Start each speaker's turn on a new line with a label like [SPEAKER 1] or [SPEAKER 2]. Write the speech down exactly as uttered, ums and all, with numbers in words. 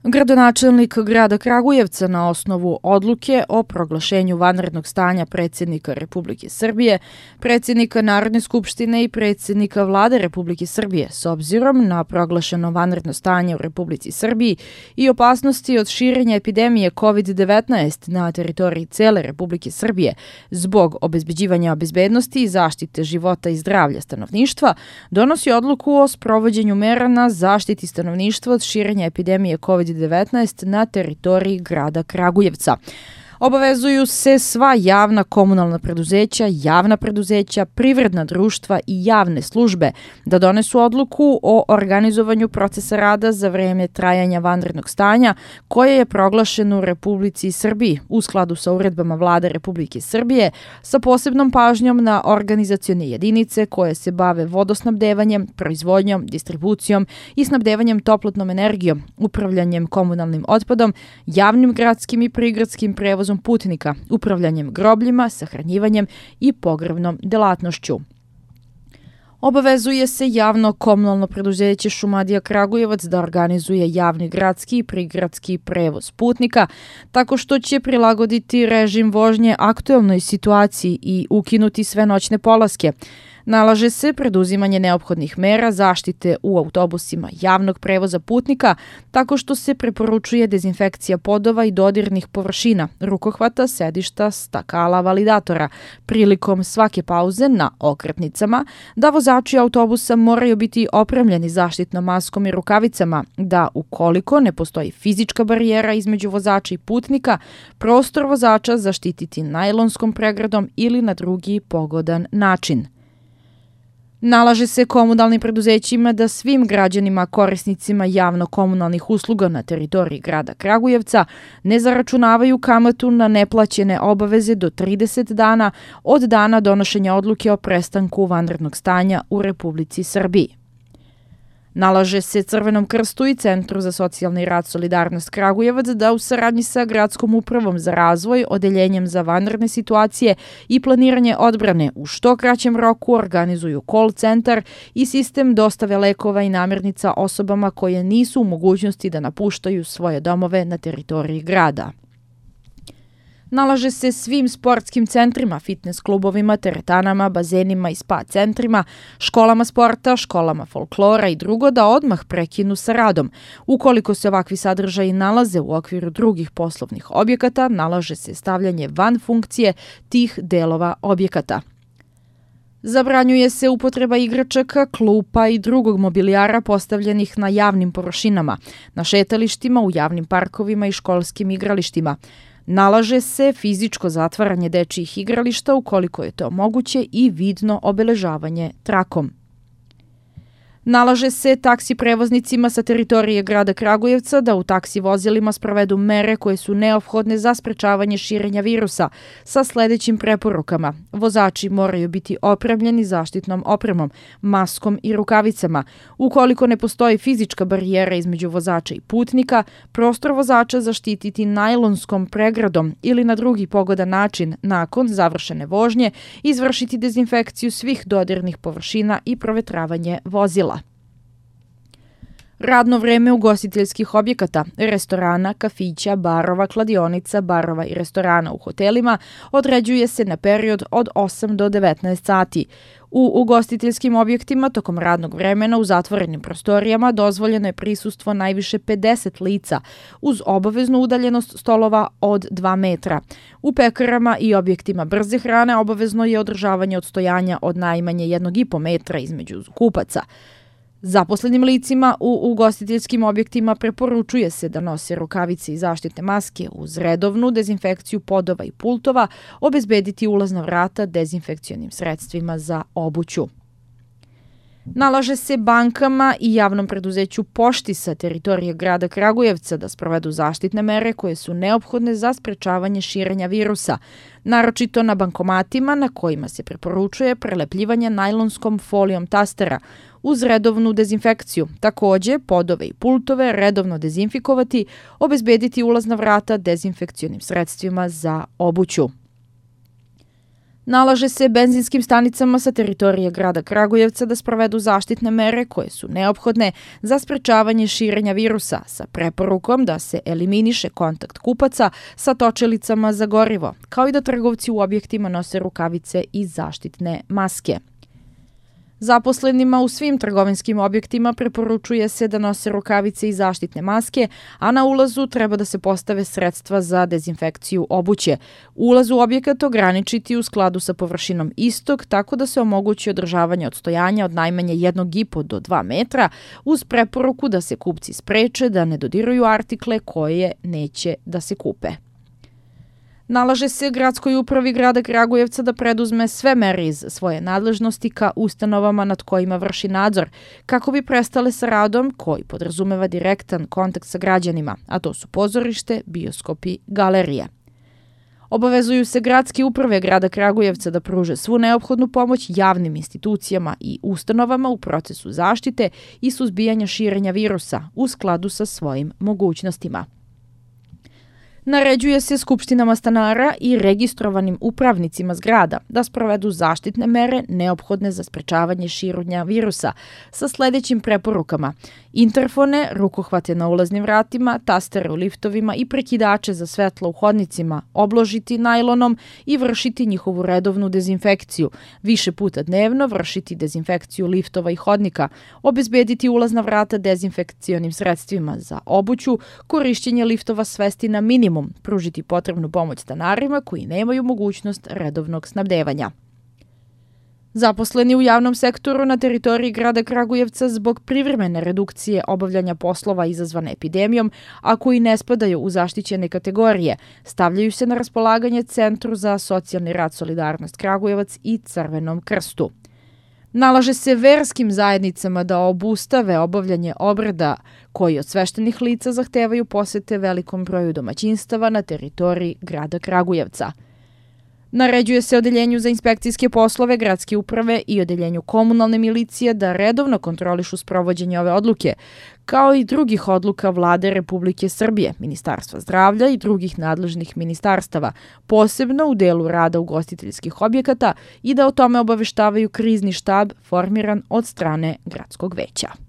[SPEAKER 1] Gradonačelnik grada Kragujevca na osnovu odluke o proglašenju vanrednog stanja predsjednika Republike Srbije, predsjednika Narodne skupštine i predsjednika Vlade Republike Srbije s obzirom na proglašeno vanredno stanje u Republici Srbiji i opasnosti od širenja epidemije kovid devetnaest na teritoriji cele Republike Srbije zbog obezbeđivanja bezbednosti i zaštite života i zdravlja stanovništva, donosi odluku o sprovođenju mera na zaštiti stanovništva od širenja epidemije kovid devetnaest na teritoriji grada Kragujevca. Obavezuju se sva javna komunalna preduzeća, javna preduzeća, privredna društva i javne službe da donesu odluku o organizovanju procesa rada za vreme trajanja vanrednog stanja koje je proglašeno u Republici Srbiji u skladu sa uredbama Vlade Republike Srbije sa posebnom pažnjom na organizacione jedinice koje se bave vodosnabdevanjem, proizvodnjom, distribucijom i snabdevanjem toplotnom energijom, upravljanjem komunalnim otpadom, javnim gradskim i prigradskim prevozom putnika, upravljanjem grobljima, sahranjivanjem i pogrebnom delatnošću. Obavezuje se javno komunalno preduzeće Šumadija Kragujevac da organizuje javni gradski i prigradski prevoz putnika tako što će prilagoditi režim vožnje aktuelnoj situaciji i ukinuti sve noćne polaske. Nalaže se preduzimanje neophodnih mera zaštite u autobusima javnog prevoza putnika tako što se preporučuje dezinfekcija podova i dodirnih površina, rukohvata, sedišta, stakala, validatora prilikom svake pauze na okretnicama, da vozači autobusa moraju biti opremljeni zaštitnom maskom i rukavicama, da ukoliko ne postoji fizička barijera između vozača i putnika, prostor vozača zaštititi najlonskom pregradom ili na drugi pogodan način. Nalaže se komunalnim preduzećima da svim građanima korisnicima javno-komunalnih usluga na teritoriji grada Kragujevca ne zaračunavaju kamatu na neplaćene obaveze do trideset dana od dana donošenja odluke o prestanku vanrednog stanja u Republici Srbiji. Nalaže se Crvenom krstu i Centru za socijalni rad Solidarnost Kragujevac da u saradnji sa Gradskom upravom za razvoj, Odeljenjem za vanredne situacije i planiranje odbrane u što kraćem roku organizuju call centar i sistem dostave lekova i namirnica osobama koje nisu u mogućnosti da napuštaju svoje domove na teritoriji grada. Nalaže se svim sportskim centrima, fitness klubovima, teretanama, bazenima i spa centrima, školama sporta, školama folklora i drugo da odmah prekinu sa radom. Ukoliko se ovakvi sadržaji nalaze u okviru drugih poslovnih objekata, nalaže se stavljanje van funkcije tih delova objekata. Zabranjuje se upotreba igračaka, klupa i drugog mobilijara postavljenih na javnim površinama, na šetalištima, u javnim parkovima i školskim igralištima. Nalaže se fizičko zatvaranje dečijih igrališta ukoliko je to moguće i vidno obeležavanje trakom. Nalaže se taksi prevoznicima sa teritorije grada Kragujevca da u taksi vozilima sprovedu mere koje su neophodne za sprečavanje širenja virusa sa sledećim preporukama. Vozači moraju biti opremljeni zaštitnom opremom, maskom i rukavicama. Ukoliko ne postoji fizička barijera između vozača i putnika, prostor vozača zaštititi najlonskom pregradom ili na drugi pogodan način nakon završene vožnje izvršiti dezinfekciju svih dodirnih površina i provetravanje vozila. Radno vreme ugostiteljskih objekata, restorana, kafića, barova, kladionica, barova i restorana u hotelima određuje se na period od osam do devetnaest sati. U ugostiteljskim objektima tokom radnog vremena u zatvorenim prostorijama dozvoljeno je prisustvo najviše pedeset lica uz obaveznu udaljenost stolova od dva metra. U pekarama i objektima brze hrane obavezno je održavanje odstojanja od najmanje jednog i po metra između kupaca. Zaposlenim licima u ugostiteljskim objektima preporučuje se da nose rukavice i zaštitne maske uz redovnu dezinfekciju podova i pultova, obezbediti ulazna vrata dezinfekcionim sredstvima za obuću. Nalaže se bankama i javnom preduzeću Pošti sa teritorije grada Kragujevca da sprovedu zaštitne mere koje su neophodne za sprečavanje širenja virusa, naročito na bankomatima na kojima se preporučuje prelepljivanje najlonskom folijom tastera uz redovnu dezinfekciju. Takođe, podove i pultove redovno dezinfikovati, obezbediti ulazna vrata dezinfekcionim sredstvima za obuću. Nalaže se benzinskim stanicama sa teritorije grada Kragujevca da sprovedu zaštitne mere koje su neophodne za sprečavanje širenja virusa sa preporukom da se eliminiše kontakt kupaca sa točelicama za gorivo, kao i da trgovci u objektima nose rukavice i zaštitne maske. Zaposlenima u svim trgovinskim objektima preporučuje se da nose rukavice i zaštitne maske, a na ulazu treba da se postave sredstva za dezinfekciju obuće. Ulaz u objekat ograničiti u skladu sa površinom istog, tako da se omogući održavanje odstojanja od najmanje jednog i po do dva metra, uz preporuku da se kupci spreče da ne dodiruju artikle koje neće da se kupe. Nalaže se gradskoj upravi grada Kragujevca da preduzme sve mere iz svoje nadležnosti ka ustanovama nad kojima vrši nadzor, kako bi prestale sa radom koji podrazumeva direktan kontakt sa građanima, a to su pozorište, bioskopi, galerije. Obavezuju se gradske uprave grada Kragujevca da pruže svu neophodnu pomoć javnim institucijama i ustanovama u procesu zaštite i suzbijanja širenja virusa u skladu sa svojim mogućnostima. Naređuje se skupštinama stanara i registrovanim upravnicima zgrada da sprovedu zaštitne mere neophodne za sprečavanje širenja virusa sa sledećim preporukama: interfone, rukohvate na ulaznim vratima, tastere u liftovima i prekidače za svetlo u hodnicima obložiti najlonom i vršiti njihovu redovnu dezinfekciju, više puta dnevno vršiti dezinfekciju liftova i hodnika, obezbediti ulazna vrata dezinfekcionim sredstvima za obuću, korišćenje liftova svesti na minimum, pružiti potrebnu pomoć stanarima koji nemaju mogućnost redovnog snabdevanja. Zaposleni u javnom sektoru na teritoriji grada Kragujevca zbog privremene redukcije obavljanja poslova izazvane epidemijom, a koji ne spadaju u zaštićene kategorije, stavljaju se na raspolaganje Centru za socijalni rad Solidarnost Kragujevac i Crvenom krstu. Nalaže se verskim zajednicama da obustave obavljanje obreda koji od sveštenih lica zahtevaju posete velikom broju domaćinstava na teritoriji grada Kragujevca. Naređuje se Odeljenju za inspekcijske poslove gradske uprave i Odeljenju komunalne milicije da redovno kontrolišu sprovođenje ove odluke, kao i drugih odluka Vlade Republike Srbije, Ministarstva zdravlja i drugih nadležnih ministarstava, posebno u delu rada ugostiteljskih objekata, i da o tome obaveštavaju krizni štab formiran od strane gradskog veća.